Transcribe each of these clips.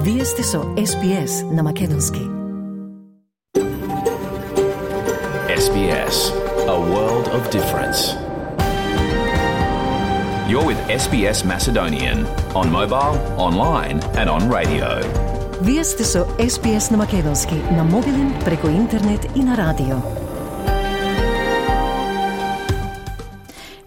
Вие сте со SBS на Македонски. SBS, a world of difference. You're with SBS Macedonian on mobile, online and on radio. Вие сте со SBS на Македонски на мобилен, преку интернет и на радио.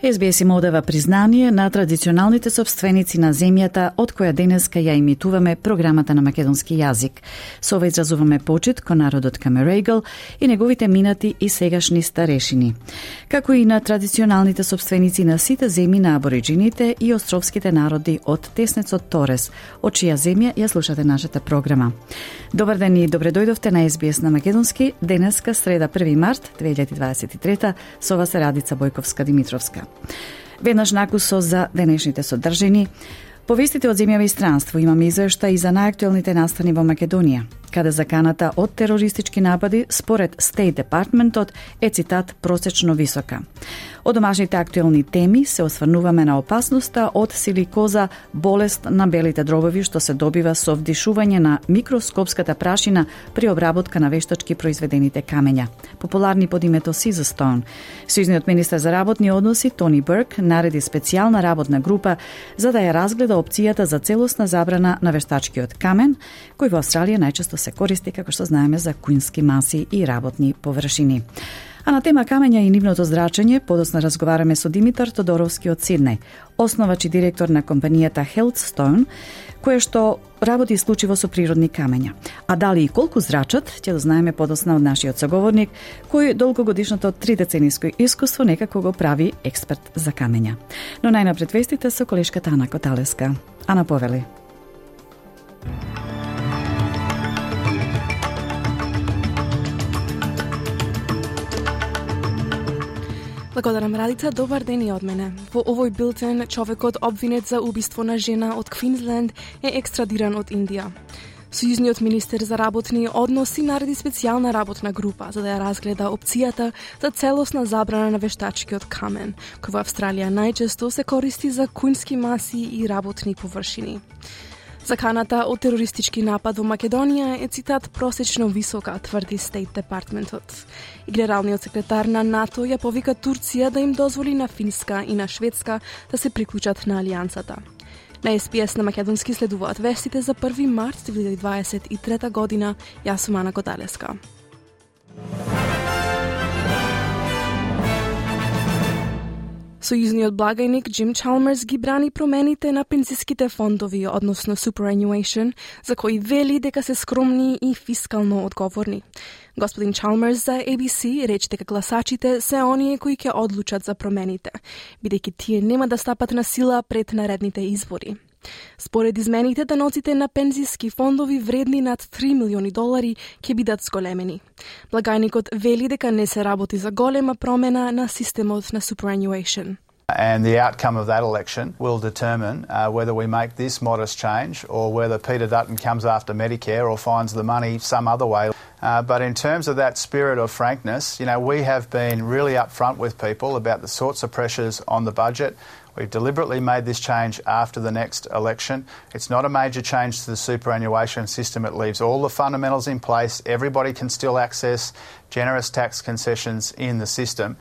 SBS им одава признание на традиционалните собственици на земјата од која денеска ја имитуваме програмата на македонски јазик. Со ова изразуваме почит кон народот Камерегл и неговите минати и сегашни старешини, како и на традиционалните собственици на сите земји на абориджините и островските народи од теснецот Торес, од чија земја ја слушате нашата програма. Добар ден и добре дојдовте на SBS на македонски, денеска среда 1 март 2023, со вас е Радица Бојковска-Димитровска. Веднаш накусо за денешните содржини. Повестите од земјава и странство имаме извештај и за најактуелните настани во Македонија, каде заканата од терористички напади според State Departmentот е, цитат, просечно висока. Од домашните актуелни теми се осврнуваме на опасноста од силикоза, болест на белите дробови што се добива со вдишување на микроскопската прашина при обработка на вештачки произведените камења, популарни под името Caesarstone. Сојузниот министер за работни односи Тони Бурк нареди специјална работна група за да ја разгледа опцијата за целосна забрана на вештачкиот камен, кој во Австралија најчесто се користи, како што знаеме, за кујнски маси и работни површини. А на тема камења и нивното зрачење, подоцна разговараме со Димитар Тодоровски од Сиднеј, основач и директор на компанијата Healthstone, која што работи исклучиво со природни камења. А дали и колку зрачат, ќе дознаеме подоцна од нашиот соговорник, кој долгогодишното 3-децениско искуство некако го прави експерт за камења. Но најнапред вестите со колешката Ана Коталеска. Ана, повели. Благодарам, Радица, добар ден и од мене. Во овој билтен, човекот обвинет за убиство на жена од Квинсленд е екстрадиран од Индија. Сојузниот министер за работни односи нареди специјална работна група за да ја разгледа опцијата за целосна забрана на вештачкиот камен, кој во Австралија најчесто се користи за кујнски маси и работни површини. Заканата од терористички напад во Македонија е, цитат, просечно висока, тврди State Departmentот. И генералниот секретар на НАТО ја повика Турција да им дозволи на Финска и на Шведска да се приклучат на алијансата. На SBS на македонски следуваат вестите за 1 март 2023 година. Јас сум Ана Коталеска. Сојузниот благајник Джим Чалмерс ги брани промените на пензиските фондови, односно superannuation, за кои вели дека се скромни и фискално одговорни. Господин Чалмерс за ABC рече дека гласачите се оние кои ќе одлучат за промените, бидејќи тие нема да стапат на сила пред наредните избори. Според измените, даноците на пензиски фондови вредни над $3 милиони ќе бидат зголемени. Благајникот вели дека не се работи за голема промена на системот на superannuation. And the outcome of that election will determine whether we make this modest change or whether Peter Dutton comes after Medicare or finds the money some other way. But in terms of that spirit of frankness, we have been really upfront with people about the sorts of pressures on the budget. We've deliberately made this change after the next election. It's not a major change to the superannuation system. It leaves all the fundamentals in place. Everybody can still access generous tax concessions in the system.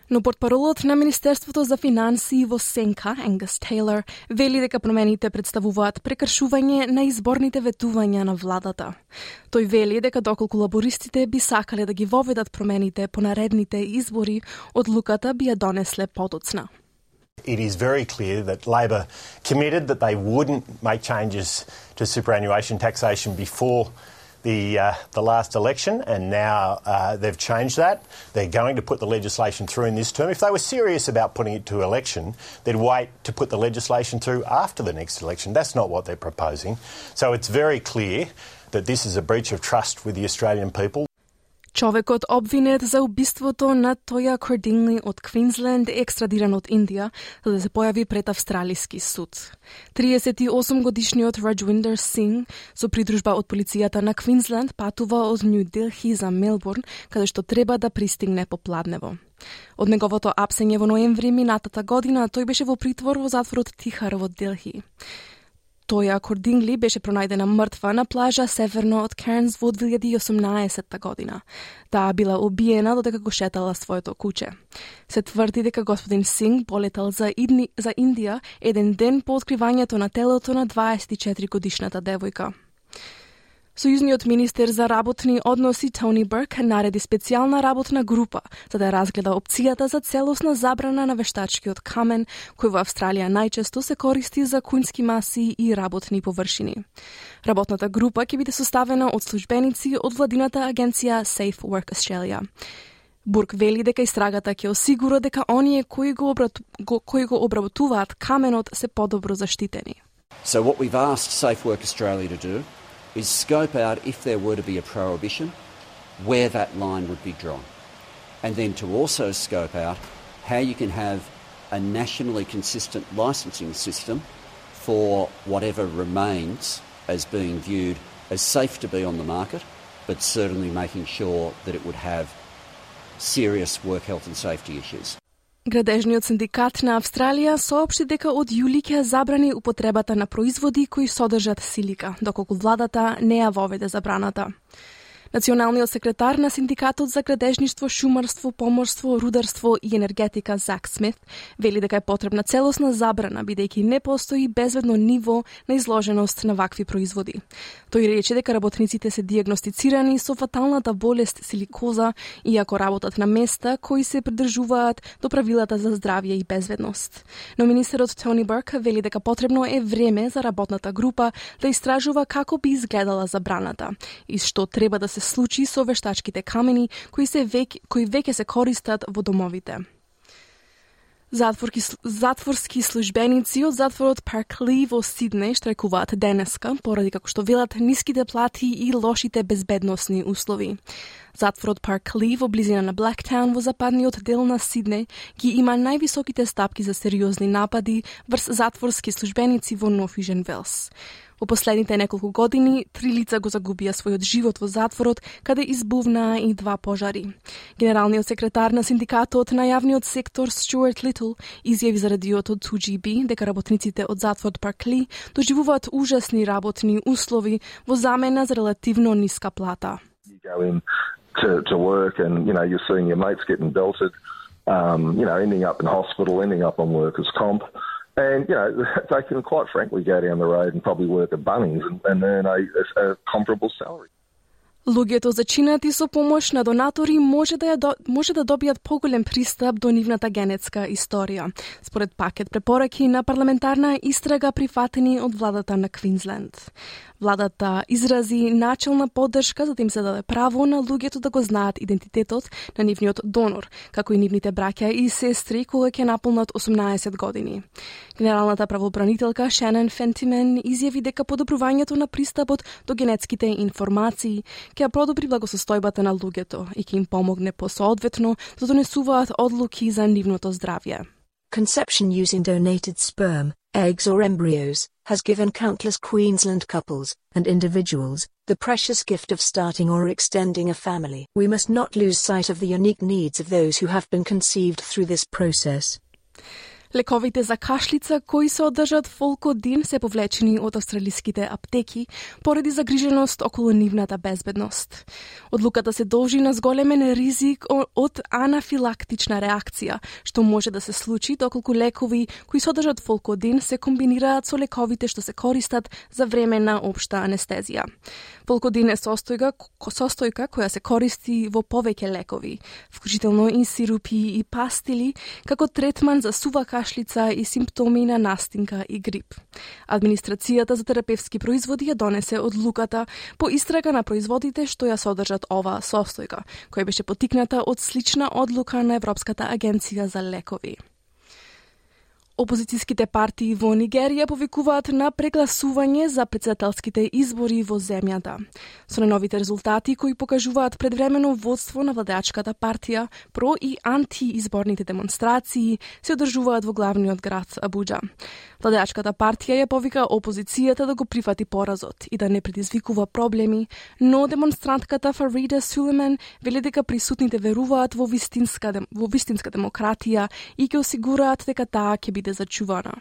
Но портпаролот на Министерството за финансии во Сенка, Ангус Тейлор, вели дека промените представуваат прекршување на изборните ветувања на владата. Тој вели дека доколку лабористите би сакале да ги воведат промените по наредните избори, одлуката би ја донесле подоцна. It is very clear that Labor committed that they wouldn't make changes to superannuation taxation before the last election, and now they've changed that. They're going to put the legislation through in this term. If they were serious about putting it to election, they'd wait to put the legislation through after the next election. That's not what they're proposing. So it's very clear that this is a breach of trust with the Australian people. Човекот обвинет за убиството на Тоја Кордингли од Квинсленд е екстрадиран од Индија за да се појави пред австралиски суд. 38-годишниот Раджвиндер Синг со придружба од полицијата на Квинсленд патува од Нью Делхи за Мелбурн, каде што треба да пристигне попладнево. Од неговото апсење во ноември минатата година тој беше во притвор во затворот Тихар во Делхи. Тоја Кордингли беше пронајдена мртва на плажа северно од Кернс во 2018 година. Таа била убиена додека го шетала своето куче. Се тврди дека господин Синг полетал за Индија еден ден по откривањето на телото на 24-годишната девојка. Сојузниот министер за работни односи Тони Бурк нареди специјална работна група за да разгледа опцијата за целосна забрана на вештачкиот камен, кој во Австралија најчесто се користи за кунски маси и работни површини. Работната група ќе биде составена од службеници од владината агенција Safe Work Australia. Бурк вели дека истрагата ќе осигура дека оние кои го обработуваат каменот се подобро заштитени. So what we've asked Safe Work Australia to do is scope out, if there were to be a prohibition, where that line would be drawn. And then to also scope out how you can have a nationally consistent licensing system for whatever remains as being viewed as safe to be on the market, but certainly making sure that it would have serious work health and safety issues. Градежниот синдикат на Австралија соопшти дека од јули ќе забрани употребата на производи кои содржат силика, доколку владата не ја воведе забраната. Националниот секретар на Синдикатот за градежништво, шумарство, поморство, рударство и енергетика Зак Смит вели дека е потребна целосна забрана, бидејќи не постои безбедно ниво на изложеност на вакви производи. Тој рече дека работниците се диагностицирани со фаталната болест силикоза, иако работат на места кои се придржуваат до правилата за здравје и безбедност. Но министерот Тони Бурк вели дека потребно е време за работната група да истражува како би изгледала забраната и што треба да се случи со вештачките камени кои веќе се користат во домовите. Затворски службеници од затворот Паркли во Сиднеј штрajkуваат денеска поради како што велат ниските плати и лошите безбедносни услови. Затворот Паркли во близина на Блактаун во западниот дел на Сиднеј ги има највисоките стапки за сериозни напади врз затворски службеници во Нов Южен Велс. Во последните неколку години, 3 лица го загубија својот живот во затворот, каде избувнаа и 2 пожари. Генералниот секретар на синдикатот на јавниот сектор Стюарт Литл изјави за радиото 2GB дека работниците од затворот Паркли доживуваат ужасни работни услови во замена за релативно ниска плата. You go in to work and, you're seeing your mates getting belted, ending up in hospital, ending up on workers' comp. And, they can quite frankly go down the road and probably work at Bunnings and earn a comparable salary. Луѓето зачинати со помош на донатори може да добијат поголем пристап до нивната генетска историја, според пакет препораки на парламентарна истрага прифатени од владата на Квинсленд. Владата изрази начелна поддршка за да им се даде право на луѓето да го знаат идентитетот на нивниот донор, како и нивните браќа и сестри кога ќе наполнат 18 години. Генералната правобранителка Шенон Фентимен изјави дека подобрувањето на пристапот до генетските информации ќе подобри благосостојбата на луѓето и ќе им помогне посоодветно да донесуваат одлуки за нивното здравје. Conception using donated sperm, eggs or embryos has given countless Queensland couples and individuals the precious gift of starting or extending a family. We must not lose sight of the unique needs of those who have been conceived through this process. Лековите за кашлица кои се одржат Фолкодин се повлечени од австралиските аптеки поради загриженост околу нивната безбедност. Одлуката се должи на зголемен ризик од анафилактична реакција, што може да се случи доколку лекови кои содржат Фолкодин се комбинираат со лековите што се користат за време на општа анестезија. Фолкодин е состојка која се користи во повеќе лекови, вклучително и сирупи и пастили, како третман за сува кашлица и симптоми на настинка и грип. Администрацијата за терапевски производи ја донесе одлуката по истрага на производите што ја содржат оваа состојка, која беше потикната од слична одлука на Европската агенција за лекови. Опозицијските партии во Нигерија повикуваат на прегласување за претседателските избори во земјата. Со најновите резултати кои покажуваат предвремено водство на владеачката партија, про и антиизборните демонстрации се одржуваат во главниот град Абуџа. Владеачката партија ја повика опозицијата да го прифати поразот и да не предизвикува проблеми, но демонстрантката Фарида Сулейман вели дека присутните веруваат во вистинска демократија и ќе осигураат дека таа ќе биде зачувана.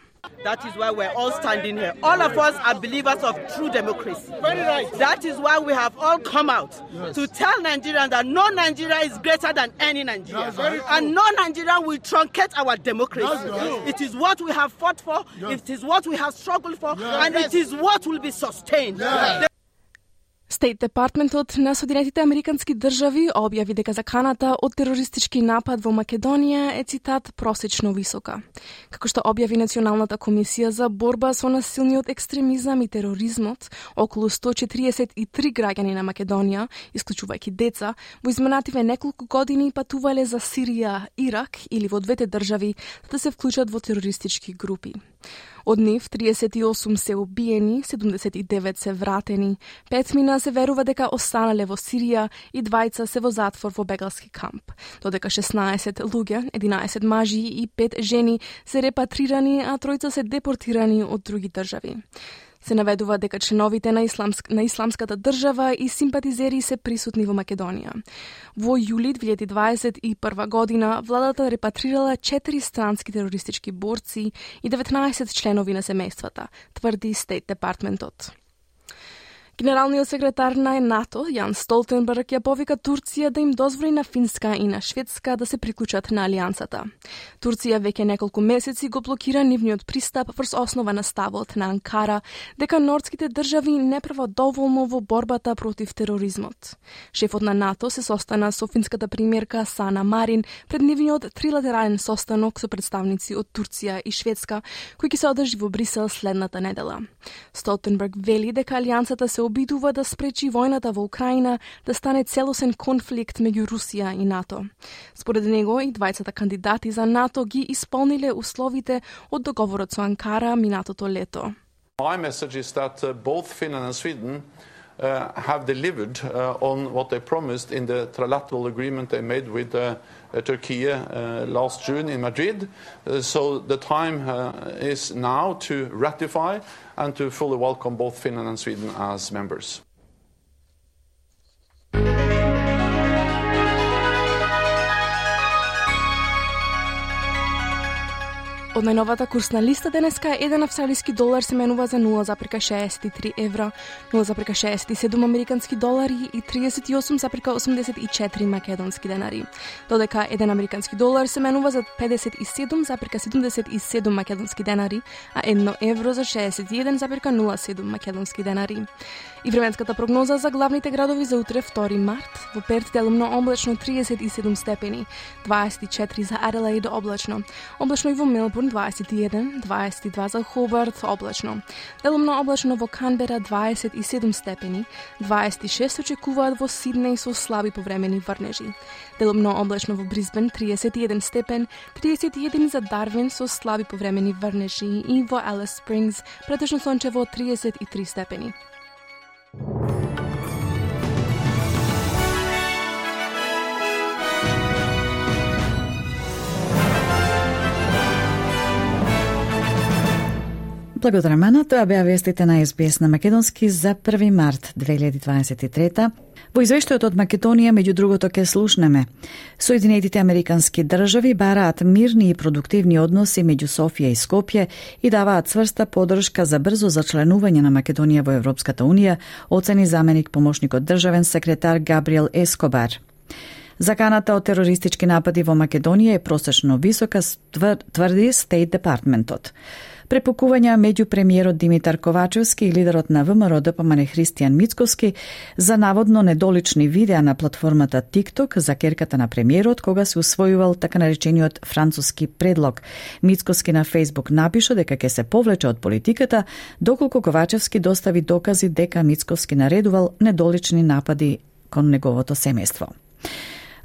That is why we're all standing here. All of us are believers of true democracy. Very right. That is why we have all come out to tell Nigerians that no Nigeria is greater than any Nigeria. And no Nigeria will truncate our democracy. It is what we have fought for, it is what we have struggled for, and it is what will be sustained. Стейт Департментот на Соединетите Американски држави објави дека заканата од терористички напад во Македонија е, цитат, просечно висока. Како што објави Националната комисија за борба со насилниот екстремизам и тероризмот, околу 143 граѓани на Македонија, исклучувајќи деца, во изминативе неколку години патувале за Сирија, Ирак или во двете држави да се вклучат во терористички групи. Од нив 38 се убиени, 79 се вратени, 5 мина се верува дека останале во Сирија и 2 се во затвор во бегалски камп. Додека 16 луѓе, 11 мажи и 5 жени се репатрирани, а 3 се депортирани од други држави. Се наведува дека членовите на исламската држава и симпатизери се присутни во Македонија. Во јули 2021 година владата репатрирала 4 странски терористички борци и 19 членови на семејствата, тврди Стейт Департментот. Генералниот секретар на НАТО, Јан Столтенберг, ја повика Турција да им дозволи на Финска и на Шведска да се приклучат на алијансата. Турција веќе неколку месеци го блокира нивниот пристап врз основа на ставот на Анкара дека нордските држави не прават доволно во борбата против тероризмот. Шефот на НАТО се состана со финската премиерка Сана Марин пред нивниот трилатерален состанок со представници од Турција и Шведска, кој ќе се одржи во Брисел следната недела. Столтенберг вели дека алијансата се обидува да спречи војната во Украина да стане целосен конфликт меѓу Русија и НАТО. Според него и двајцата кандидати за НАТО ги исполниле условите од договорот со Анкара минатото лето. My message is that both Finland and Sweden have delivered on what they promised in the trilateral agreement they made with Turkey last June in Madrid. So the time is now to ratify and to fully welcome both Finland and Sweden as members. Од најновата курсна листа денеска еден австралиски долар се менува за 0,63 евра, 0,67 американски долари и 38,84 македонски денари. Додека еден американски долар се менува за 57,77 македонски денари, а 1 евро за 61,07 македонски денари. И временската прогноза за главните градови за утре 2 март. Во Перт делумно облачно 37 степени, 24 за Аделаид облачно. Облачно и во Мелбурн 21, 22 за Хобарт облачно. Делумно облачно во Канбера 27 степени, 26 очекуваат во Сиднеј со слаби повремени врнежи. Делумно облачно во Брисбен 31 степен, 31 за Дарвин со слаби повремени врнежи и во Алис Спрингс претежно сончево 33 степени. Благодарам, тоа беа вестите на СБС на македонски за 1 март 2023. Во извештајот од Македонија, меѓу другото, ке слушнеме. Соединетите Американски држави бараат мирни и продуктивни односи меѓу Софија и Скопје и даваат цврста поддршка за брзо зачленување на Македонија во Европската Унија, оцени заменик помошникот државен секретар Габриел Ескобар. Заканата од терористички напади во Македонија е просечно висока, тврди Стейт Департментот. Препукувања меѓу премиерот Димитар Ковачевски и лидерот на ВМРО ДПМН Христијан Мицкоски за наводно недолични видеа на платформата TikTok за керката на премиерот кога се усвојувал така наречениот француски предлог. Мицкоски на Facebook напиша дека ќе се повлече од политиката доколку Ковачевски достави докази дека Мицкоски наредувал недолични напади кон неговото семејство.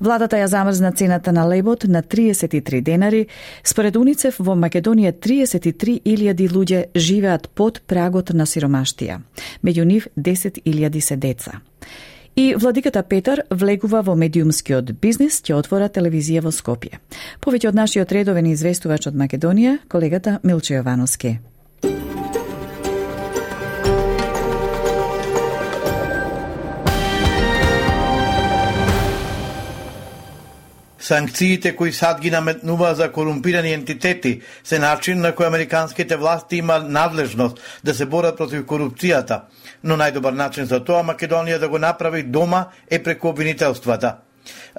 Владата ја замрзна цената на лебот на 33 денари. Според УНИЦЕФ во Македонија 33.000 луѓе живеат под прагот на сиромаштија. Меѓу нив 10.000 се деца. И владиката Петар влегува во медиумскиот бизнис, ќе отвора телевизија во Скопје. Повеќе од нашиот редовен известувач од Македонија, колегата Милче Јовановски. Санкциите кои САД ги наметнува за корумпирани ентитети се начин на кој американските власти има надлежност да се борат против корупцијата, но најдобар начин за тоа Македонија да го направи дома е преку обвинителствата.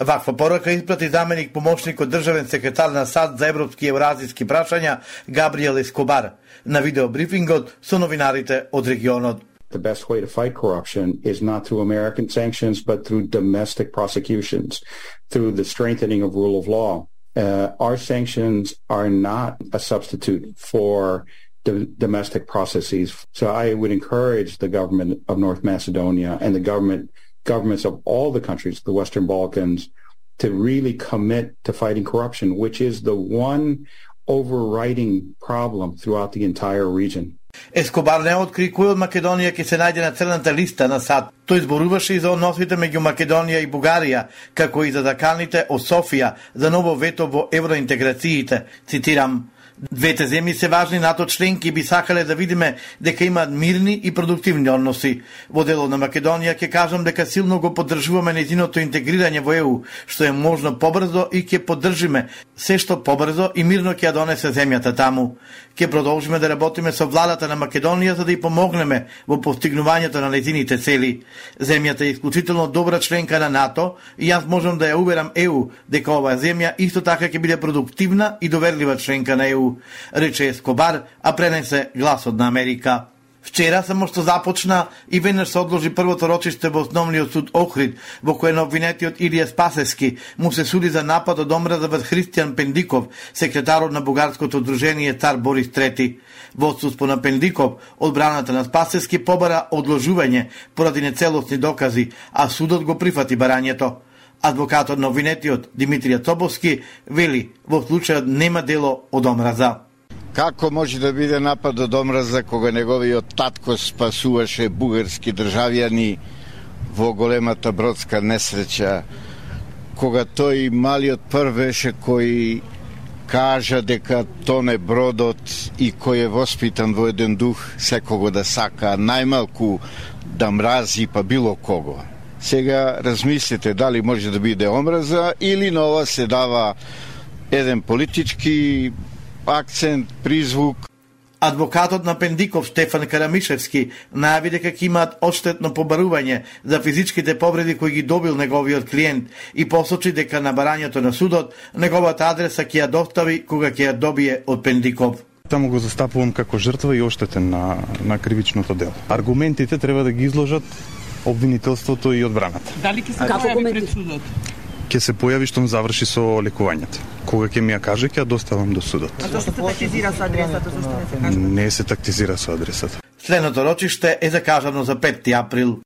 Ваква порака испрати заменик помошникот државен секретар на САД за европски и евразиски прашања Габриел Ескобар на видеобрифингот со новинарите од регионот. The best way to fight corruption is not through American sanctions, but through domestic prosecutions, through the strengthening of rule of law. Our sanctions are not a substitute for domestic processes. So I would encourage the government of North Macedonia and the governments of all the countries of the Western Balkans to really commit to fighting corruption, which is the one overriding problem throughout the entire region. Ескобар не откри кој од Македонија ќе се најде на црната листа на САД. Тој зборуваше и за односите меѓу Македонија и Бугарија, како и за заканите од Софија за ново вето во евроинтеграциите. Цитирам: "Двете земји се важни НАТО членки и би сакале да видиме дека имаат мирни и продуктивни односи. Во делот на Македонија ќе кажам дека силно го поддржуваме нејзиното интегрирање во ЕУ, што е можно побрзо и ќе поддржиме се што побрзо и мирно ќе ја донесе земјата таму. Ќе продолжиме да работиме со владата на Македонија за да ја помогнеме во постигнувањето на нејзините цели. Земјата е исклучително добра членка на НАТО и јас можам да ја уверам ЕУ дека оваа земја исто така ќе биде продуктивна и доверлива членка на ЕУ", рече Ескобар, а пренесе гласот на Америка. Вчера само што започна и веднаш се одложи првото рочиште во Основниот суд Охрид, во кој на обвинетиот Илија Спасевски му се суди за напад од омраза врз Христијан Пендиков, секретарот на бугарското удружение Цар Борис III. Во отсуство на Пендиков, одбраната на Спасевски побара одложување поради нецелосни докази, а судот го прифати барањето. Адвокатот на обвинетиот Димитрија Цобовски вели во случајот нема дело од омраза. Како може да биде напад од омраза кога неговиот татко спасуваше бугарски државјани во големата бродска несреќа, кога тој малиот прв беше кој кажа дека тоне бродот и кој е воспитан во еден дух секого да сака, најмалку да мрази па било кого. Сега размислите дали може да биде омраза или на ова се дава еден политички акцент, призвук. Адвокатот на Пендиков Штефан Карамишевски најави дека ќе имаат одштетно побарување за физичките повреди кои ги добил неговиот клиент и посочи дека на барањето на судот неговата адреса ќе ја достави кога ќе ја добие од Пендиков. Таму го застапувам како жртва и оштетен на кривичното дело. Аргументите треба да ги изложат обвинителството и одбраната. Дали ќе се појави пред судот? Ќе се појави штом заврши со лекувањето. Кога ќе ми ја каже, ќе ја доставам до судот. А зашто се тактизира со адресата, зашто не се каже? Не се тактизира со адресата. Следното рочиште е закажано за 5 април.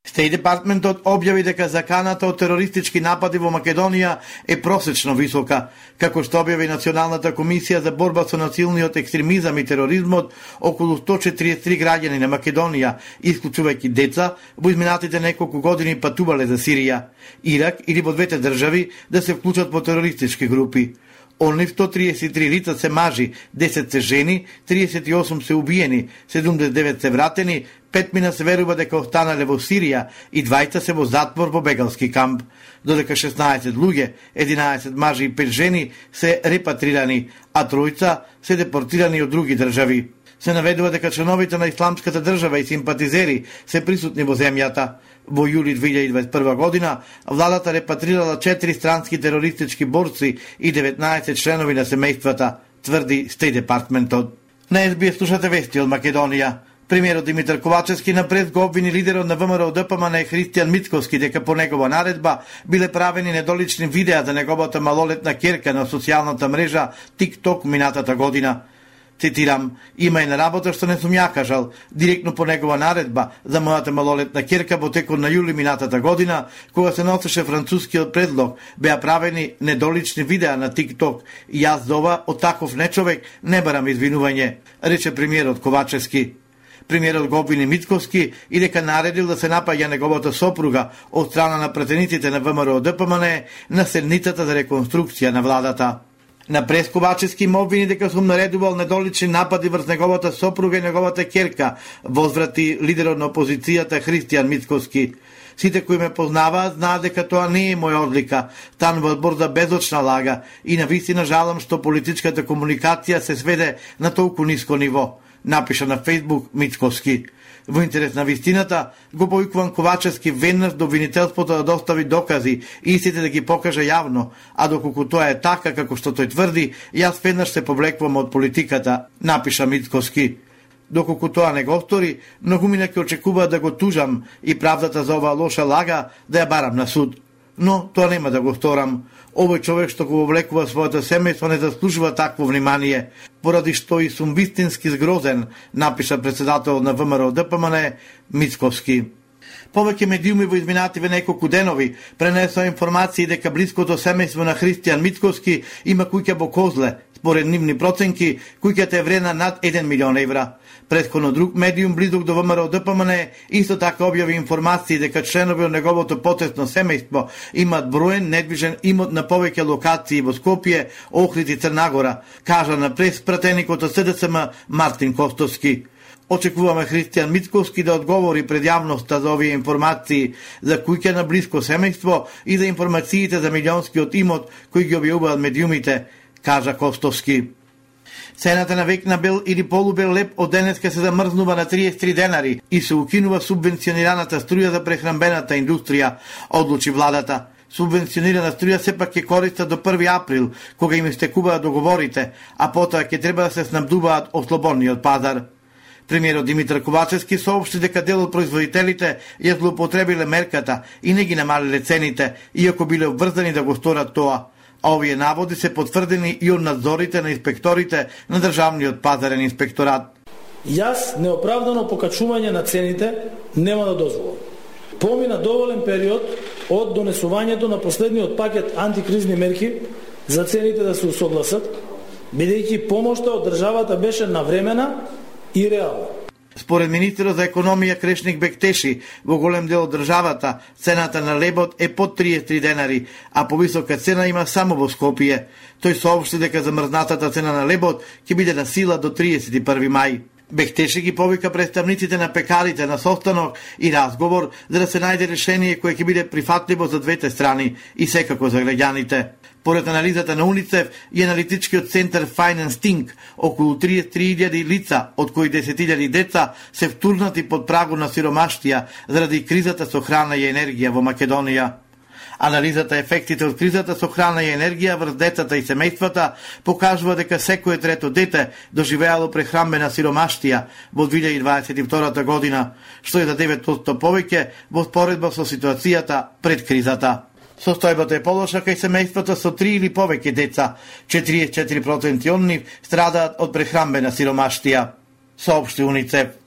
Стејт департментот објави дека заканата од терористички напади во Македонија е просечно висока, како што објави Националната комисија за борба со насилниот екстремизам и тероризмот. Околу 143 граѓани на Македонија, исклучувајќи деца, во изминатите неколку години патувале за Сирија, Ирак или во двете држави да се вклучат во терористички групи. Онли 133 лица се мажи, 10 се жени, 38 се убиени, 79 се вратени, 5 мина се верува дека останале во Сирија и 20 се во затвор во бегалски камп, додека 16 луѓе, 11 мажи и 5 жени се репатрирани, а тројца се депортирани од други држави. Се наведува дека членовите на Исламската држава и симпатизери се присутни во земјата. Во јули 2021 година, владата репатрирала 4 странски терористички борци и 19 членови на семејствата, тврди Стејт департментот. На СБС слушате вести од Македонија. Премиерот Димитар Ковачевски напред го обвини лидерот на ВМРО ДПМН Христијан Мицковски дека по негова наредба биле правени недолични видеа за неговата малолетна ќерка на социјалната мрежа TikTok минатата година. Цитирам: "Има и на работа што не сум ја кажал. Директно по негова наредба за мојата малолетна ќерка во текот на јули минатата година, кога се носеше францускиот предлог, беа правени недолични видеа на TikTok и јас за ова од таков нечовек не барам извинување", рече премиерот Ковачевски. Премиерот го обвини Мицковски и дека наредил да се напаѓа неговата сопруга од страна на пратениците на ВМРО ДПМН на седницата за реконструкција на владата. На Пресковачевски му обвини дека сум наредувал недолични напади врз неговата сопруга и неговата ќерка, возврати лидерот на опозицијата Христијан Мицковски. Сите кои ме познаваат знаат дека тоа не е моја одлика, станува збор за безочна лага и навистина жалам што политичката комуникација се сведе на толку ниско ниво, напиша на Фејсбук Мицковски. Во интерес на вистината, го повикувам Ковачевски веднаш до обвинителството да достави докази и истите да ги покаже јавно, а доколку тоа е така како што тој тврди, јас веднаш се повлекувам од политиката, напиша Мицковски. Доколку тоа не го стори, многумина ќе очекуваат да го тужам и правдата за оваа лоша лага да ја барам на суд. Но тоа нема да го сторам. Овој човек што го вовлекува своето семејство не заслужува такво внимание, поради што и сум вистински згрозен, напиша председател на ВМРО ДПМН Мицковски. Повеќе медиуми во изминативе неколку денови пренесоа информации дека блиското семејство на Христијан Мицковски има куќа во Козле, според нивни проценки, куќата е вредна над 1 милион евра. Претходно друг медиум близок до ВМРО ДПМН исто така објави информации дека членови од неговото потесно семејство имаат броен недвижен имот на повеќе локации во Скопје, Охрид и Црнагора, кажа на преспратеникот од СДСМ Мартин Костовски. Очекуваме Христијан Мицковски да одговори пред јавноста за овие информации за куќа на блиско семејство и за информациите за милионскиот имот кои ги објавуваат медиумите, кажа Костовски. Цената на век на бел или полубел леп од денеска се замрзнува на 33 денари и се укинува субвенционираната струја за прехранбената индустрија, одлучи владата. Субвенционирана струја сепак ќе користа до 1 април, кога им истекуваат договорите, а потоа ќе треба да се снабдуваат од слободниот пазар. Премиерот Димитар Ковачевски соопшти дека дел од производителите ја злоупотребиле мерката и не ги намалиле цените, иако биле обврзани да го сторат тоа. А овие наводи се потврдени и од надзорите на инспекторите на Државниот пазарен инспекторат. Јас неоправдано покачување на цените нема да дозволам. Помина доволен период од донесувањето на последниот пакет антикризни мерки за цените да се усогласат, бидејќи помошта од државата беше навремена и реална. Според министерот за економија Крешник Бектеши, во голем дел од државата цената на лебот е под 33 денари, а повисока цена има само во Скопје. Тој соопшти дека замрзнатата цена на лебот ќе биде на сила до 31 мај. Бектеши ги повика представниците на пекарите на состанок и разговор за да се најде решение кое ќе биде прифатливо за двете страни и секако за граѓаните. Поред анализата на Уницев и аналитичкиот центар Finance Think, околу 33.000 лица, од кои 10.000 деца, се втурнати под прагу на сиромаштија заради кризата со храна и енергија во Македонија. Анализата ефектите од кризата со храна и енергија врз децата и семејствата покажува дека секое трето дете доживеало прехранбена сиромаштија во 2022 година, што е за 9% повеќе во споредба со ситуацијата пред кризата. Состојбата е полоша кај семејствата со 3 или повеќе деца, 44% од нив страдаат од прехранбена сиромаштија, соопшти Уницев.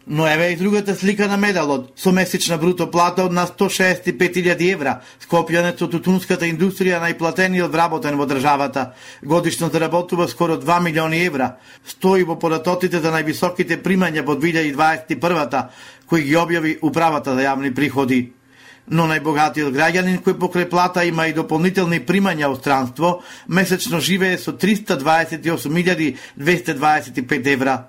Но еве и другата слика на медалот, со месечна бруто плата од на 165.000 евра, Скопјанец од тутунската индустрија најплатениот вработен во државата. Годишно заработува скоро 2 милиони евра, стои во податоците за највисоките примања во 2021, кои ги објави Управата за јавни приходи. Но најбогатиот граѓанин кој покрај плата има и дополнителни примања од странство, месечно живее со 328.225 евра.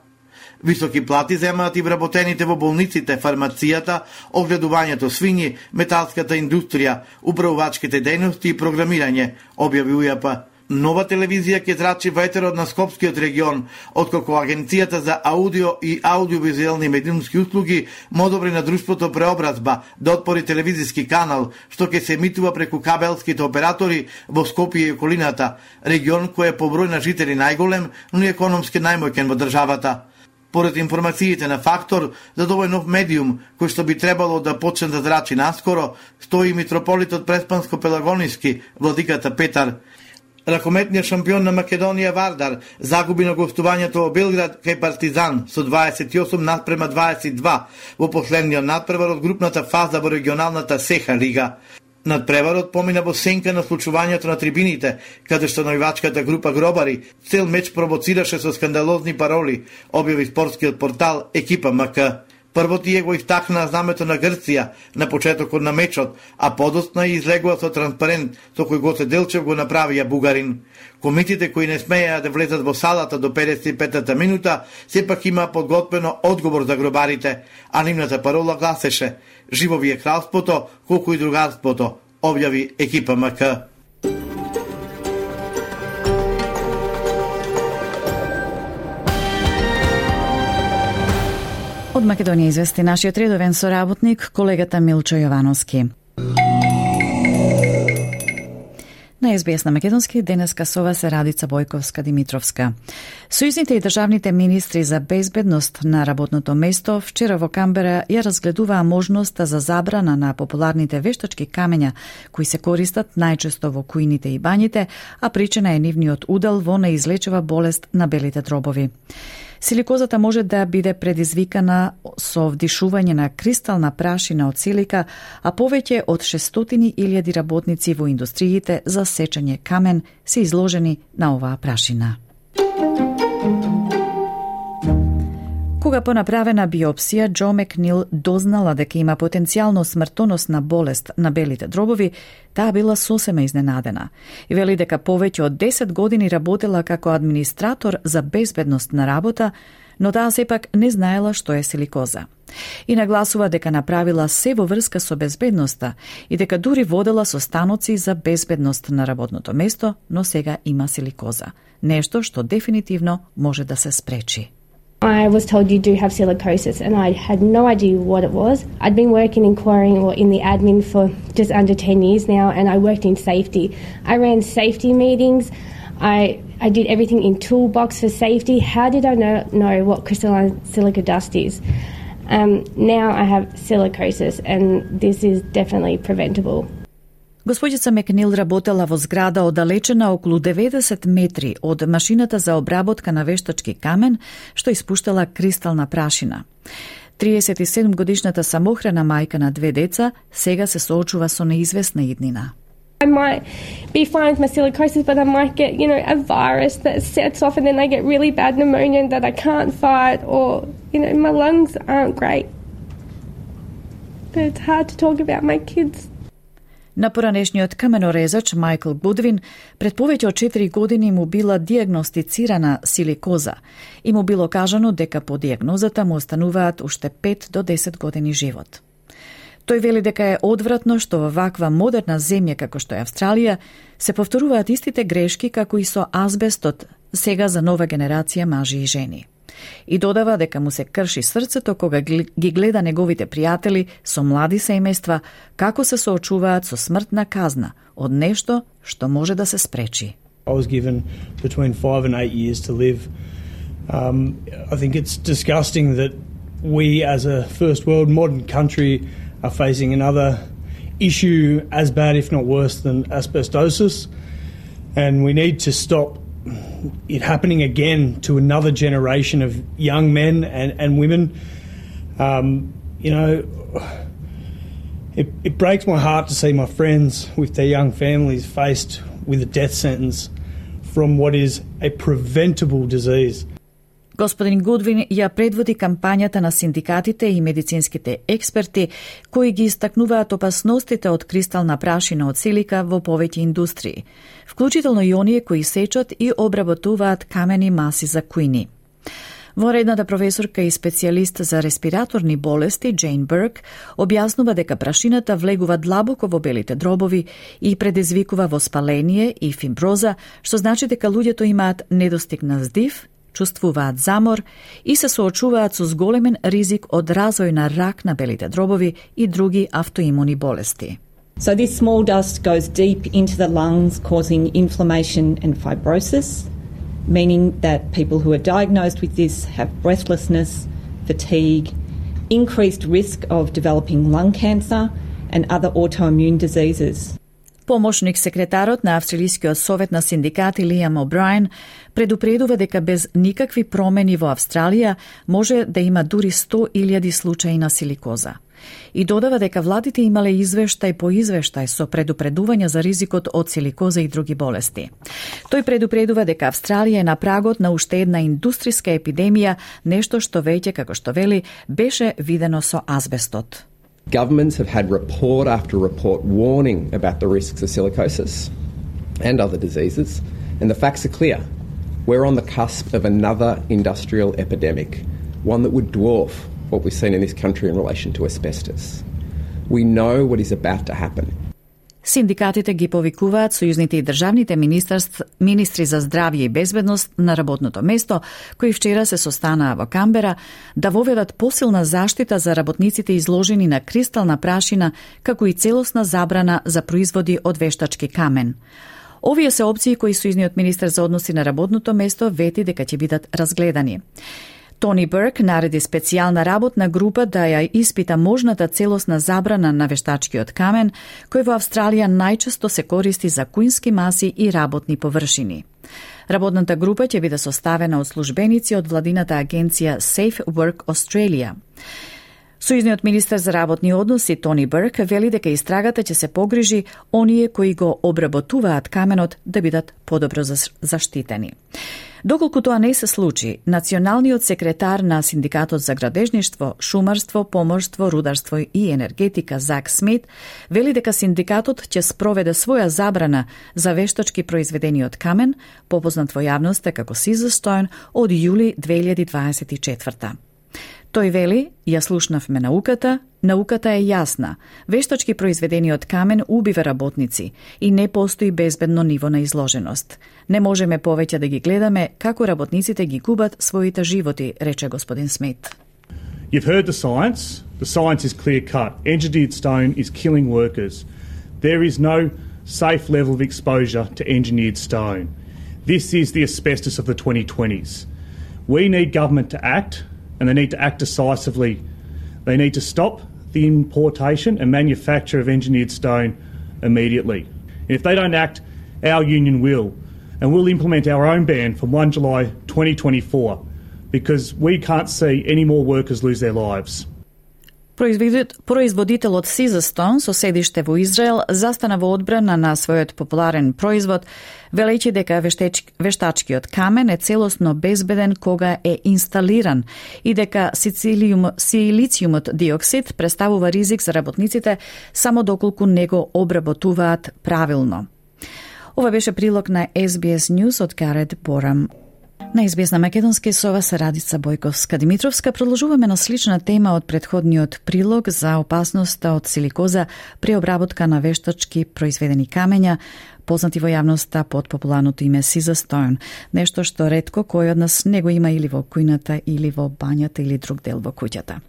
Високи плати земаат и вработените во болниците, фармацијата, огледувањето свињи, металската индустрија, управувачките дејности и програмирање, објави УЈП. Нова телевизија ќе зрачи во етерот на Скопскиот регион, откако Агенцијата за аудио и аудиовизуелни медиумски услуги му одобри на друштвото Преобразба да отпори телевизиски канал, што ќе се емитува преку кабелските оператори во Скопје и околината, регион кој е по број на жители најголем, но и економски најмоќен во државата. Поред информациите на Фактор, за овој нов медиум, кој што би требало да почне да зрачи наскоро, стои митрополитот Преспанско-Пелагониски, владиката Петар. Ракометниот шампион на Македонија Вардар загуби на гостувањето во Белград кај Партизан со 28:22 во последниот надпревар од групната фаза во регионалната Сеха лига. Надпреварот помина во сенка на случувањето на трибините, каде што највачката група гробари цел меч провоцираше со скандалозни пароли, објави спортскиот портал Екипа МК. Прво тие го истакнаа знамето на Грција на почетокот на мечот, а подоцна излегува со транспарент со кој Гоце Делчев го направија бугарин. Комитите кои не смееа да влезат во салата до 55-та минута, сепак има подготвено одговор за гробарите, а нивната парола гласеше «Живо ви е кралството, колку и другарството», објави екипа МК. Од Македонија извести нашиот редовен соработник, колегата Милчо Јовановски. На СБС на македонски денеска со вас е Радица Бојковска-Димитровска. Сојузните и државните министри за безбедност на работното место вчера во Камбера ја разгледуваа можноста за забрана на популарните вештачки камења кои се користат најчесто во куините и бањите, а причина е нивниот удел во неизлечива болест на белите дробови. Силикозата може да биде предизвикана со вдишување на кристална прашина од силика, а повеќе од 600.000 работници во индустриите за сечење камен се изложени на оваа прашина. Кога по направена биопсија Џо Макнил дознала дека има потенцијално смртоносна болест на белите дробови, таа била сосема изненадена и вели дека повеќе од 10 години работела како администратор за безбедност на работа, но таа сепак не знаела што е силикоза. И нагласува дека направила се во врска со безбедноста и дека дури водела состаноци за безбедност на работното место, но сега има силикоза. Нешто што дефинитивно може да се спречи. I was told you do have silicosis and I had no idea what it was. I'd been working in quarrying or in the admin for just under 10 years now and I worked in safety. I ran safety meetings. I did everything in toolbox for safety. How did I know what crystalline silica dust is? Now I have silicosis and this is definitely preventable. Госпоđica Макнил работела во зграда оддалечена околу 90 метри од машината за обработка на вештачки камен, што испуштала кристална прашина. 37-годишната самохрана мајка на 2 деца сега се соочува со неизвестна иднина. I might be fine with my silicosis, but I might get, a virus that sets off and then I get really bad pneumonia that I can't fight or, my lungs aren't great. But it's hard to talk about my kids. На поранешниот каменорезач Майкл Гудвин пред повеќе од 4 години му била диагностицирана силикоза и му било кажано дека по диагнозата му остануваат уште 5 до 10 години живот. Тој вели дека е одвратно што во ваква модерна земја како што е Австралија се повторуваат истите грешки како и со азбестот сега за нова генерација мажи и жени. И додава дека му се крши срцето кога ги гледа неговите пријатели со млади семејства како се соочуваат со смртна казна од нешто што може да се спречи. I was given between 5 and 8 years to live. I think it's disgusting that we as a first world modern country are facing another issue as bad if not worse than asbestosis, and we need to stop it happening again to another generation of young men and women. It breaks my heart to see my friends with their young families faced with a death sentence from what is a preventable disease. Господин Гудвин ја предводи кампањата на синдикатите и медицинските експерти кои ги истакнуваат опасностите од кристална прашина од силика во повеќе индустрии, вклучително и оние кои сечат и обработуваат камени маси за куини. Воредната професорка и специјалист за респираторни болести Джейн Бърк објаснува дека прашината влегува длабоко во белите дробови и предизвикува воспаление и фиброза, што значи дека луѓето имаат недостиг на здив, чувствуваат замор и се соочуваат со зголемен ризик од развој на рак на белите дробови и други автоимуни болести. So this small dust goes deep into the lungs, causing inflammation and fibrosis, meaning that people who are diagnosed with this have breathlessness, fatigue, increased risk of developing lung cancer and other autoimmune diseases. Помошник секретарот на Австралискиот совет на синдикати Лиам О'Брајен предупредува дека без никакви промени во Австралија може да има дури 100.000 случаи на силикоза. И додава дека владите имале извештај по извештај со предупредувања за ризикот од силикоза и други болести. Тој предупредува дека Австралија е на прагот на уште една индустријска епидемија, нешто што веќе, како што вели, беше видено со азбестот. Governments have had report after report warning about the risks of silicosis and other diseases, And the facts are clear. We're on the cusp of another industrial epidemic, one that would dwarf what we've seen in this country in relation to asbestos. We know what is about to happen. Синдикатите ги повикуваат сојузните и државните министри за здравје и безбедност на работното место, кои вчера се состанаа во Камбера, да воведат посилна заштита за работниците изложени на кристална прашина, како и целосна забрана за производи од вештачки камен. Овие се опции кои сојузниот министер за односи на работното место вети дека ќе бидат разгледани. Тони Берк нареди специјална работна група да ја испита можната целосна забрана на вештачкиот камен, кој во Австралија најчесто се користи за куински маси и работни површини. Работната група ќе биде составена од службеници од владината агенција Safe Work Australia. Сојузниот министер за работни односи Тони Берк вели дека истрагата ќе се погрижи оние кои го обработуваат каменот да бидат подобро заштитени. Доколку тоа не се случи, националниот секретар на Синдикатот за градежништво, шумарство, поморство, рударство и енергетика Зак Смит вели дека синдикатот ќе спроведе своја забрана за вештачки произведени од камен, попознат во јавноста како Caesarstone, од јули 2024. Тој вели, ја слушнавме науката е јасна. Вештачки произведени од камен убива работници и не постои безбедно ниво на изложеност. Не можеме повеќе да ги гледаме како работниците ги губат своите животи, рече господин Смит. You've heard the science. The science is clear cut. Engineered stone is killing workers. There is no safe level of exposure to engineered stone. This is the asbestos of the 2020s. We need government to act, and they need to act decisively. They need to stop the importation and manufacture of engineered stone immediately. And if they don't act, our union will. And we'll implement our own ban from 1 July 2024 because we can't see any more workers lose their lives. Производителот Caesarstone со седиште во Израел застана во одбрана на својот популарен производ, велејќи дека вештачкиот камен е целосно безбеден кога е инсталиран и дека силициумот диоксид представува ризик за работниците само доколку не го обработуваат правилно. Ова беше прилог на SBS News од Гарет Борам. На SBS на македонски со вас Радица Бојковска-Димитровска продолжуваме на слична тема од претходниот прилог за опасноста од силикоза при обработка на вештачки произведени камења, познати во јавноста под популарното име Caesarstone, нешто што ретко кој од нас не го има или во кујната, или во бањата, или друг дел во куќата.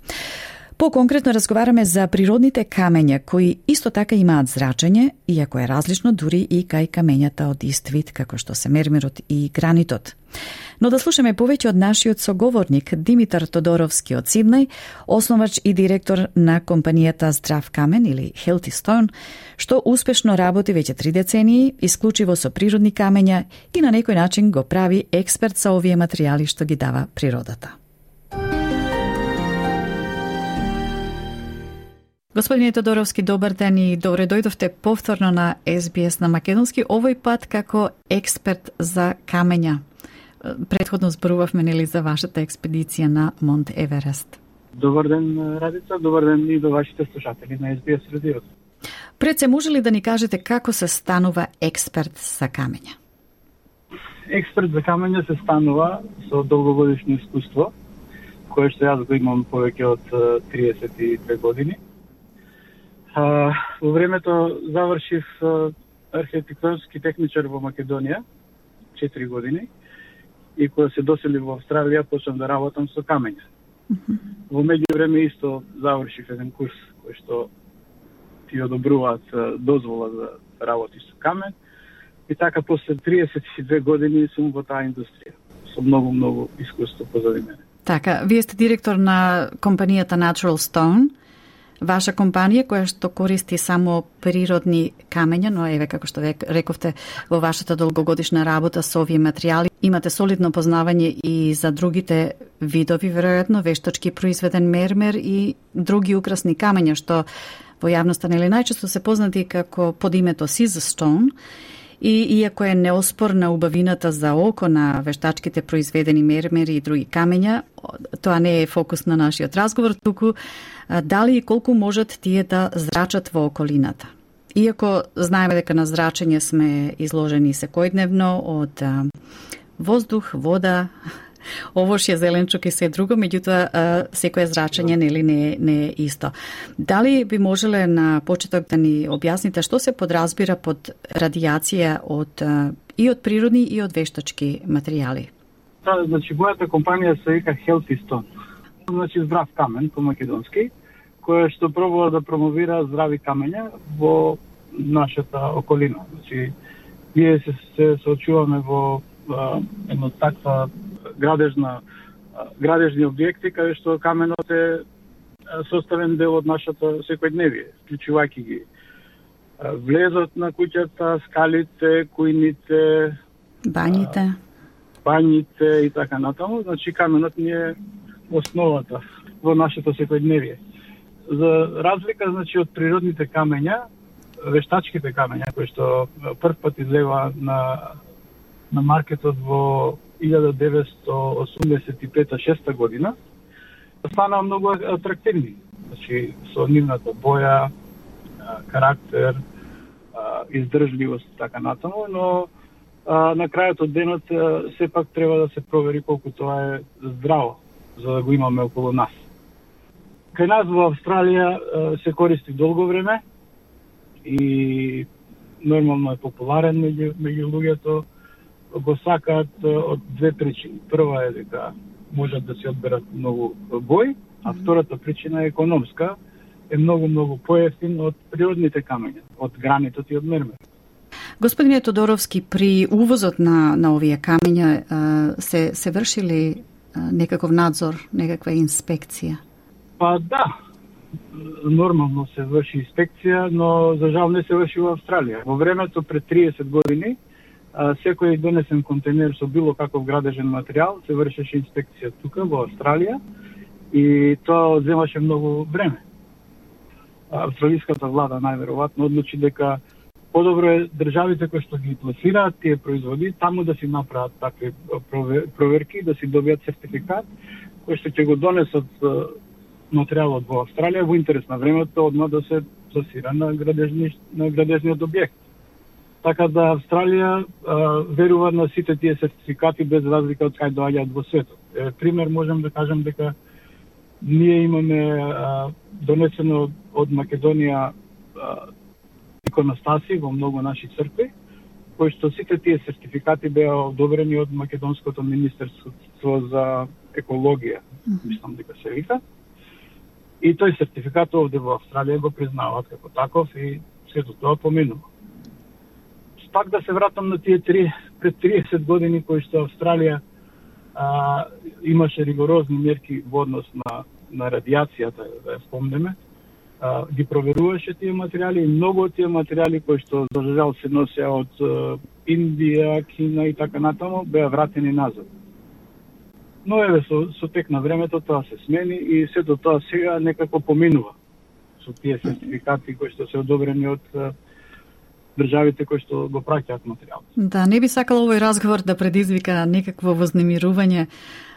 По-конкретно разговараме за природните камења кои исто така имаат зрачење, иако е различно дури и кај камењата од ист вид како што се мермерот и гранитот. Но да слушаме повеќе од нашиот соговорник Димитар Тодоровски од Сиднеј, основач и директор на компанијата Здрав камен или Healthy Stone, што успешно работи веќе 3 децении, исклучиво со природни камења и на некој начин го прави експерт за овие материјали што ги дава природата. Господине Тодоровски, добар ден и добре дојдовте повторно на SBS на македонски, овој пат како експерт за камења. Претходно зборувавме нели за вашата експедиција на Монт Еверест. Добар ден, Радица, добар ден и до вашите слушатели на SBS радиото. Пред се може ли да ни кажете како се станува експерт за камења? Експерт за камења се станува со долгогодишно искуство, кое што јас го имам повеќе од 32 години. Во времето завршив архитектонски техничар во Македонија, 4 години, и кога се доселив во Австралија, почнав да работам со камења. Во меѓувреме исто завршив еден курс кој што ти одобруваат дозвола за работи со камен, и така после 32 години сум во таа индустрија, со многу искуство позади мене. Така, вие сте директор на компанијата Natural Stone, ваша компанија која што користи само природни камења, но еве како што рековте во вашата долгогодишна работа со овие материјали, имате солидно познавање и за другите видови, веројатно вештачки произведен мермер и други украсни камења што во јавноста нели најчесто се познати како под името Caesarstone. И иако е неоспорна убавината за око на вештачките произведени мермери и други камења, тоа не е фокус на нашиот разговор, туку дали и колку можат тие да зрачат во околината. Иако знаеме дека на зрачење сме изложени секојдневно од воздух, вода, овошје, зеленчук и се друго, меѓутоа секое зрачење не е исто. Дали би можеле на почеток да ни објасните што се подразбира под радијација и од природни и од вештачки материјали? Значи, мојата компанија се вика Healthy Stone. Значи, здрав камен по македонски, која што пробува да промовира здрави камења во нашата околина. Значи, ние се соочуваме во едно таква градежни објекти, каде што каменот е составен дел од нашата секојдневие, вклучувајќи ги влезот на куќата, скалите, кујните, бањите и така натаму. Значи, каменот ни е основата во нашето секојдневие. За разлика, значи, од природните камења, вештачките камења, кои што прв пат излева на маркетот во 1985-6 година, станаа многу атрактивни. Значи, со нивната боја, карактер, издржливост, така натаму, но на крајот од денот сепак треба да се провери колку тоа е здраво, за да го имаме околу нас. Кај нас во Австралија се користи долго време и нормално е популарен меѓу луѓето. Го сакаат од две причини. Прва е дека можат да се одберат многу бој, а втората причина е економска, е многу поевтин од природните камења, од гранитот и од мермер. Господине Тодоровски, при увозот на овие камења се врши ли некаков надзор, некаква инспекција? Па да, нормално се врши инспекција, но за жал не се врши во Австралија. Во времето пред 30 години секој донесен контейнер со било каков градежен материјал се вршеше инспекција тука во Австралија и тоа земаше многу време. Австралиската влада најверојатно одлучи дека подобро е државите кои што ги пласираат тие производи таму да си направат такви проверки, да си добијат сертификат кој што ќе го донесат материјалот во Австралија во интерес на времето одма да се пласира на градежниот објект. Така да Австралија верува на сите тие сертификати без разлика од кај доаѓаат во светот. Пример можам да кажам дека ние имаме донесено од Македонија иконостаси во многу наши цркви, кои што сите тие сертификати беа одобрени од Македонското министерство за екологија, мислам дека се вика. И тој сертификат овде во Австралија го признаваат како таков и сето тоа поминува. Пак да се вратам на тие пред 30 години кои што Австралија имаше ригорозни мерки во однос на радијацијата, да ја спомнеме, ги проверуваше тие материјали и многу од тие материјали кои што за жал се носеа од Индија, Кина и така натаму, беа вратени назад. Но еве со тек на времето тоа се смени и сето тоа сега некако поминува со тие сертификати кои што се одобрени од државите кои што го праќаат материјал. Да, не би сакала овој разговор да предизвика некакво вознемирување,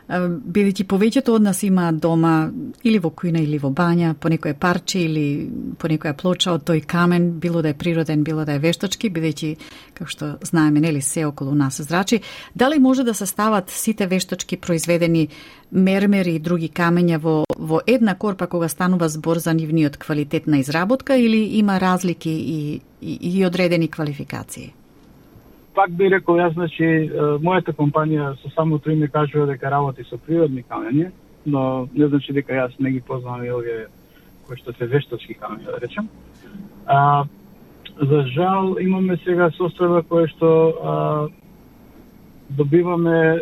бидејќи повеќето од нас има дома или во кујна или во бања, по некое парче или по некоја плоча од тој камен, било да е природен, било да е вештачки, бидејќи, како што знаеме, нели се околу нас зрачи. Дали може да се стават сите вештачки произведени мермери и други камења во една корпа кога станува збор за нивниот квалитет на изработка или има разлики и одредени квалификации? Пак би рекол јас, значи, мојата компанија со самото име кажува дека работи со природни камења, но не значи дека јас не ги познавам и овие кои што се вештачки камења, да речем. За жал имаме сега состојба која што добиваме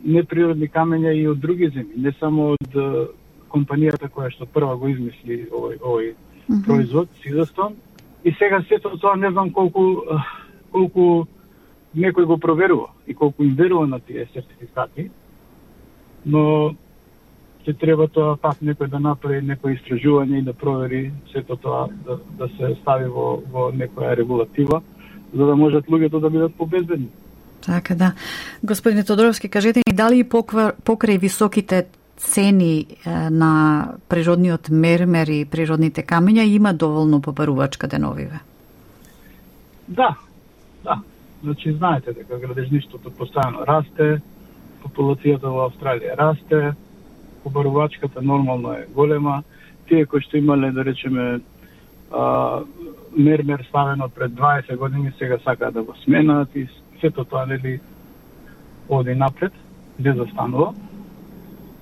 неприродни камења и од други земји, не само од компанијата која што прва го измисли овој производ, Сизастон. И сега сето тоа не знам колку некој го проверува и колку им верува на тие сертификати, но ќе треба тоа пак некој да направи некој истражување и да провери сето тоа да се стави во некоја регулатива, за да можат луѓето да бидат побезбедни. Така да. Господине Тодоровски, кажете ни дали покрај високите цени на природниот мермер и природните камења има доволно побарувачка деновиве? Да. Значи, знаете дека градежништвото постојано расте, популацијата во Австралија расте, побарувачката нормално е голема. Тие кои што имале, да речеме, мермер ставено пред 20 години, сега сакаат да го сменат и сето тоа, нели, оди напред, не застанува.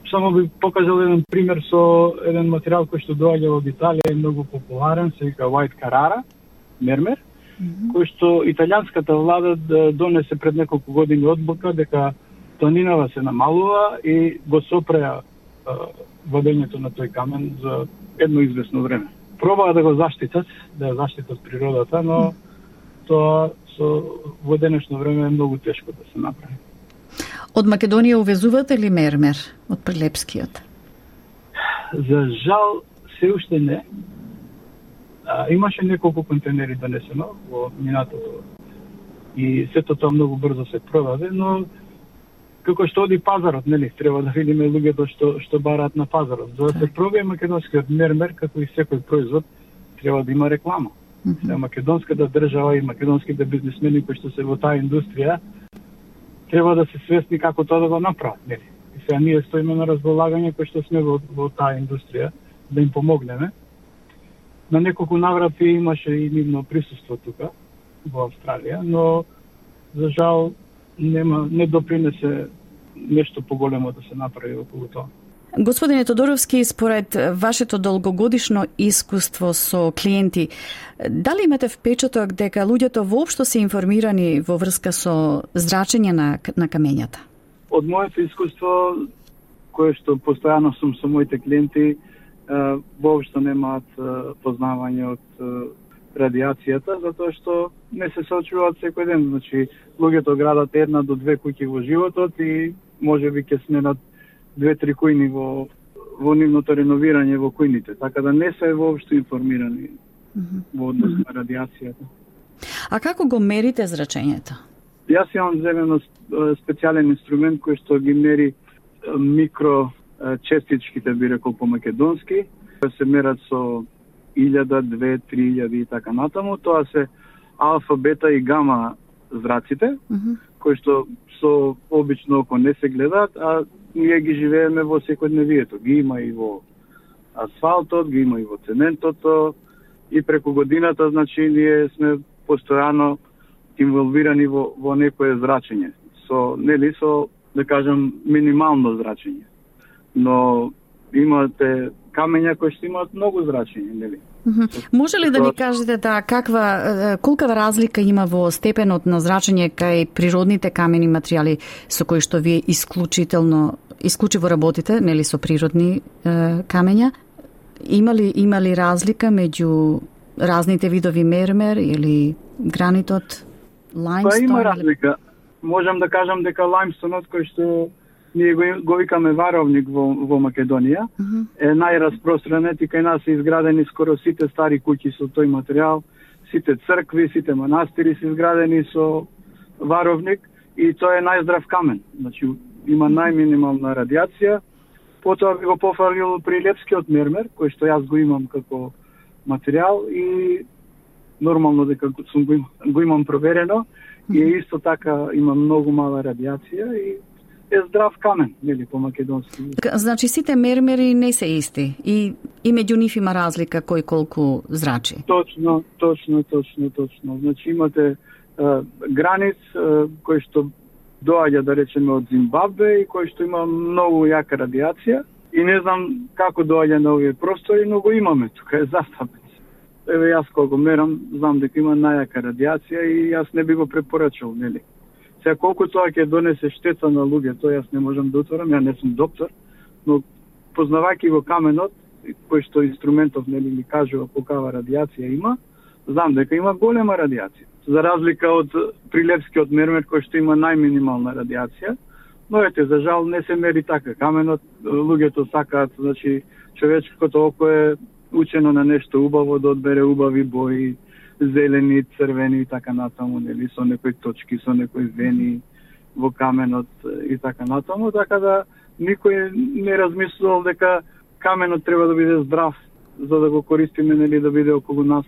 Само би покажал еден пример со еден материјал кој што доаѓа од Италија, е многу популарен, се вика White Carrara, мермер, кој што италијанската влада донесе пред неколку години одлука дека тонинава се намалува и го сопреа вадењето на тој камен за едно известно време. Пробаа да го заштитат, да ја заштитат природата, но тоа во денешно време е многу тешко да се направи. Од Македонија увезувате ли мермер од Прилепскиот? За жал, се уште не. Имаше неколку контейнери донесено во минатото и сето тоа многу брзо се продаде, но како што оди пазарот, нели, треба да видиме луѓето што бараат на пазарот. За да се пробие македонскиот мермер, како и секој производ, треба да има реклама. Македонската држава и македонските бизнисмени кои што се во таа индустрија треба да се свесни како тоа да го направат, нели. И сега ние стоиме на располагање кои што сме во таа индустрија да им помогнеме. На неколку наврати имаше и нивно присуство тука во Австралија, но за жал не допринесе нешто поголемо да се направи околу тоа. Господине Тодоровски, според вашето долгогодишно искуство со клиенти, дали имате впечаток дека луѓето воопшто се информирани во врска со зрачење на камењата? Од моето искуство, кое што постојано сум со моите клиенти, воопшто немаат познавање од радиацијата, затоа што не се соочуваат секој ден. Значи, луѓето градат 1 до 2 куќи во животот и можеби ќе сменат 2-3 кујни во нивното реновирање во кујните, така да не се воопшто информирани во однос на радиацијата. А како го мерите зрачењето? Јас имам земено специјален инструмент кој што ги мери микрочестичките, би рекол по македонски, се мерат со 1000, 2, 3000 и така натаму. Тоа се алфа, бета и гама зраците, кои што со обично око не се гледаат, а ние ги живееме во секојдневието. Ги има и во асфалтот, ги има и во цементото, и преку годината, значи, ние сме постојано инволвирани во некое зрачење. Со, да кажем, минимално зрачење. Но имате камења кои што имаат многу зрачење, нели? Може ли да ни кажете колкава разлика има во степенот на зрачење кај природните камени материјали со кои што вие исклучиво работите, нели, со природни камења? Има ли разлика меѓу разните видови мермер или гранитот, лајмстон? Има разлика. Можам да кажам дека лајмстонот кој што ние го викаме варовник во Македонија, е најраспространет и кај нас се изградени скоро сите стари куќи со тој материјал, сите цркви, сите манастири се изградени со варовник и тоа е најздрав камен. Значи, има најминимална радиација. Потоа би го пофалил Прилепскиот мермер, кој што јас го имам како материјал и нормално дека го имам проверено и исто така има многу мала радиација и е здрав камен, нели, по македонски. Значи сите мермери не се исти и меѓу нив има разлика кој колку зрачи. Точно. Значи имате границ кој што доаѓа, да речеме, од Зимбабве и кој што има многу јака радиација и не знам како доаѓа на овие простори, но го имаме тука, е застапен. Еве јас кога го мерам, знам дека има најака радиација и јас не би го препорачал, нели. Сега колку тоа ќе донесе штета на луѓето, јас не можам да утврдам, ја не сум доктор, но познавајќи го каменот, кој што инструментов, нели, ми кажува колкава радиација има, знам дека има голема радиација. За разлика од Прилепскиот мермер кој што има најминимална радиација, но ете, за жал не се мери така каменот, луѓето сакаат, значи човечкото око е учено на нешто убаво, да одбере убави бои, зелени, црвени и така натаму, нели, со некои точки, со некои вени во каменот и така натаму, така да никој не размислувал дека каменот треба да биде здрав за да го користиме, нели, да биде околу нас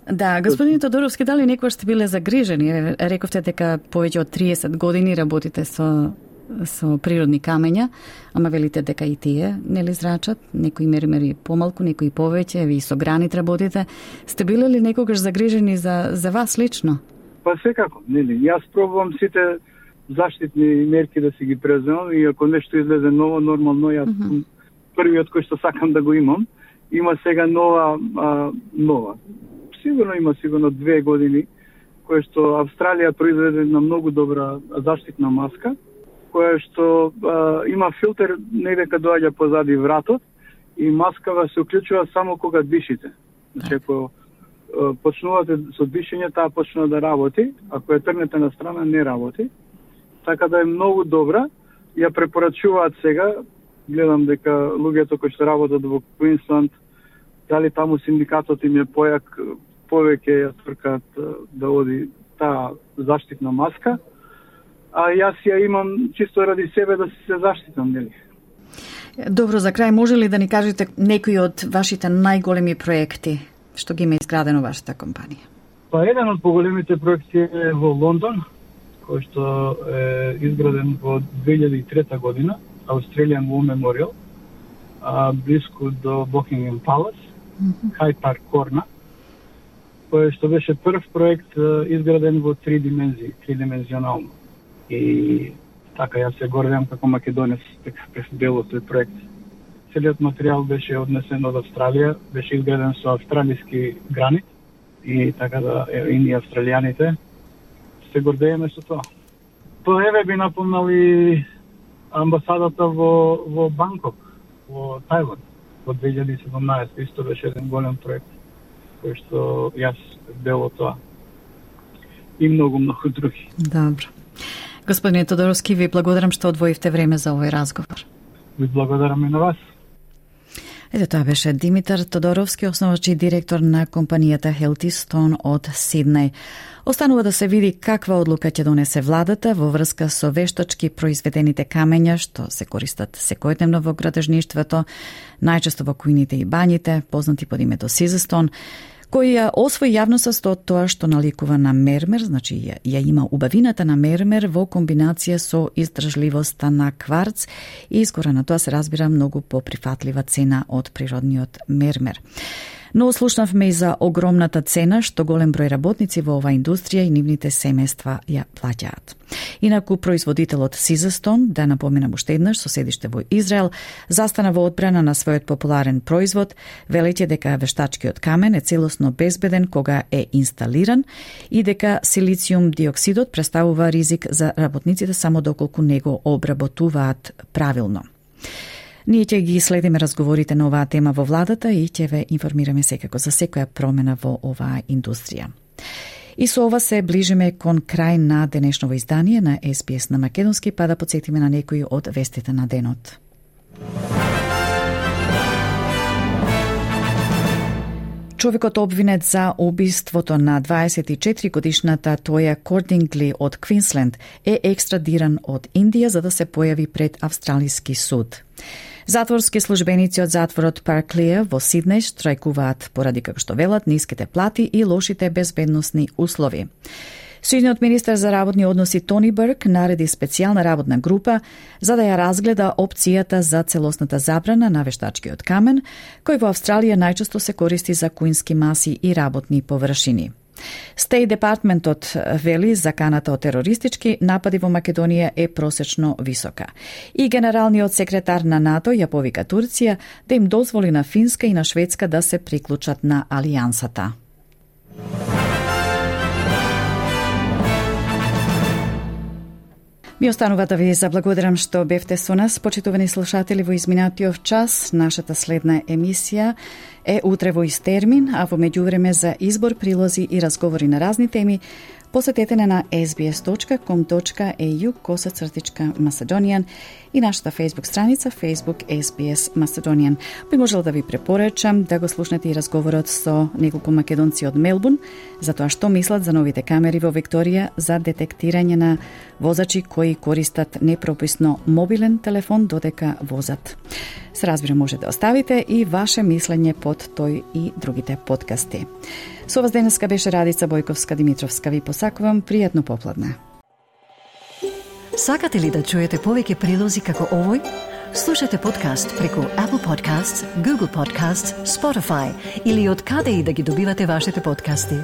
Да, господин Тодоровски, дали некогаш сте биле загрижени? Рековте дека повеќе од 30 години работите со природни камења, ама велите дека и тие нели зрачат, некои мермери помалку, некои повеќе, ви со гранит работите. Сте биле ли некогаш загрижени за вас лично? Па секако, нели. Јас пробувам сите заштитни мерки да си ги преземам и ако нешто излезе ново, нормално јас првиот кој што сакам да го имам. Има сега нова. Сигурно има 2 години кој што Австралија произведе една многу добра заштитна маска, која што има филтер негде каде доаѓа позади вратот и маскава се уклучува само кога дишите. Значи ако почнувате со дишење, таа почнува да работи, ако ја трнете на страна не работи. Така да е многу добра. Ја препорачуваат сега, гледам дека луѓето кои што работат во Квинсланд, дали таму синдикатот им е појак, повеќе ја тркаат да оди таа заштитна маска, а јас ја имам чисто ради себе да се заштитам, нели? Добро, за крај може ли да ни кажете некои од вашите најголеми проекти што ги има изградено вашата компанија? Па еден од поголемите проекти е во Лондон, кој што е изграден во 2003 година, Australian War Memorial, близко до Buckingham Palace, Hyde Park Corner, кој што беше прв проект изграден во 3 димензии, тридимензионално. И така јас се гордам како македонец дека през дел од тој проект. Целиот материјал беше однесен од Австралија, беше изграден со австралиски гранит и така да и ние австралијаните се гордееме со тоа. Тоа еве би напомнал и амбасадата во Банкок, во Тајван, во 2017. Исто беше еден голем проект кој што јас дел од тоа. И многу други. Добро. Господине Тодоровски, ви благодарам што одвоивте време за овој разговор. Ви благодарам и на вас. Ето тоа беше Димитар Тодоровски, основач и директор на компанијата Healthy Stone од Сиднеј. Останува да се види каква одлука ќе донесе владата во врска со вештачки произведените камења што се користат секојдневно во градежништвото, најчесто во кујните и бањите, познати под името Сизестон, кој ја освои јавноста со тоа што наликува на мермер, значи ја има убавината на мермер во комбинација со издржливоста на кварц и искора на тоа се разбира многу поприфатлива цена од природниот мермер. Но слушнавме и за огромната цена што голем број работници во оваа индустрија и нивните семејства ја плаќаат. Инаку производителот Сизестон, да напоменам уште еднаш, со седиште во Израел, застана во одбрана на својот популарен производ, велејќи дека вештачкиот камен е целосно безбеден кога е инсталиран и дека силициум диоксидот представува ризик за работниците само доколку не го обработуваат правилно. Ние ќе ги следиме разговорите на оваа тема во владата и ќе ве информираме секако за секоја промена во оваа индустрија. И со ова се ближиме кон крај на денешново издание на СПС на Македонски, па да подсетиме на некои од вестите на денот. Човекот обвинет за убиството на 24-годишната Тоја Кордингли од Квинсленд е екстрадиран од Индија за да се појави пред австралиски суд. Затворски службеници од затворот Парклија во Сиднеј штрајкуваат поради, како што велат, ниските плати и лошите безбедносни услови. Сојузниот министер за работни односи Тони Бърк нареди специјална работна група за да ја разгледа опцијата за целосната забрана на вештачкиот камен, кој во Австралија најчесто се користи за куински маси и работни површини. Стеј департментот вели заканата од терористички напади во Македонија е просечно висока. И генералниот секретар на НАТО ја повика Турција да им дозволи на Финска и на Шведска да се приклучат на алијансата. Ми останува да ви заблагодарам што бевте со нас, почитувани слушатели, во изминатиот час. Нашата следна емисија е утре во ист термин, а во меѓувреме за избор, прилози и разговори на разни теми, посетете на sbs.com.au/Macedonian и нашата Facebook страница Facebook SBS Macedonian. Би можел да ви препорачам да го слушнете и разговорот со неколку македонци од Мелбурн за тоа што мислат за новите камери во Викторија за детектирање на возачи кои користат непрописно мобилен телефон додека возат. Се разбира, може да оставите и ваше мислење под под тој и другите подкасти. Со вас денеска беше Радица Бојковска-Димитровска. Ви посакувам пријатно попладне. Сакате ли да чуете повеќе прилози како овој? Слушате подкаст преку Apple Podcasts, Google Podcasts, Spotify или од каде и да ги добивате вашите подкасти.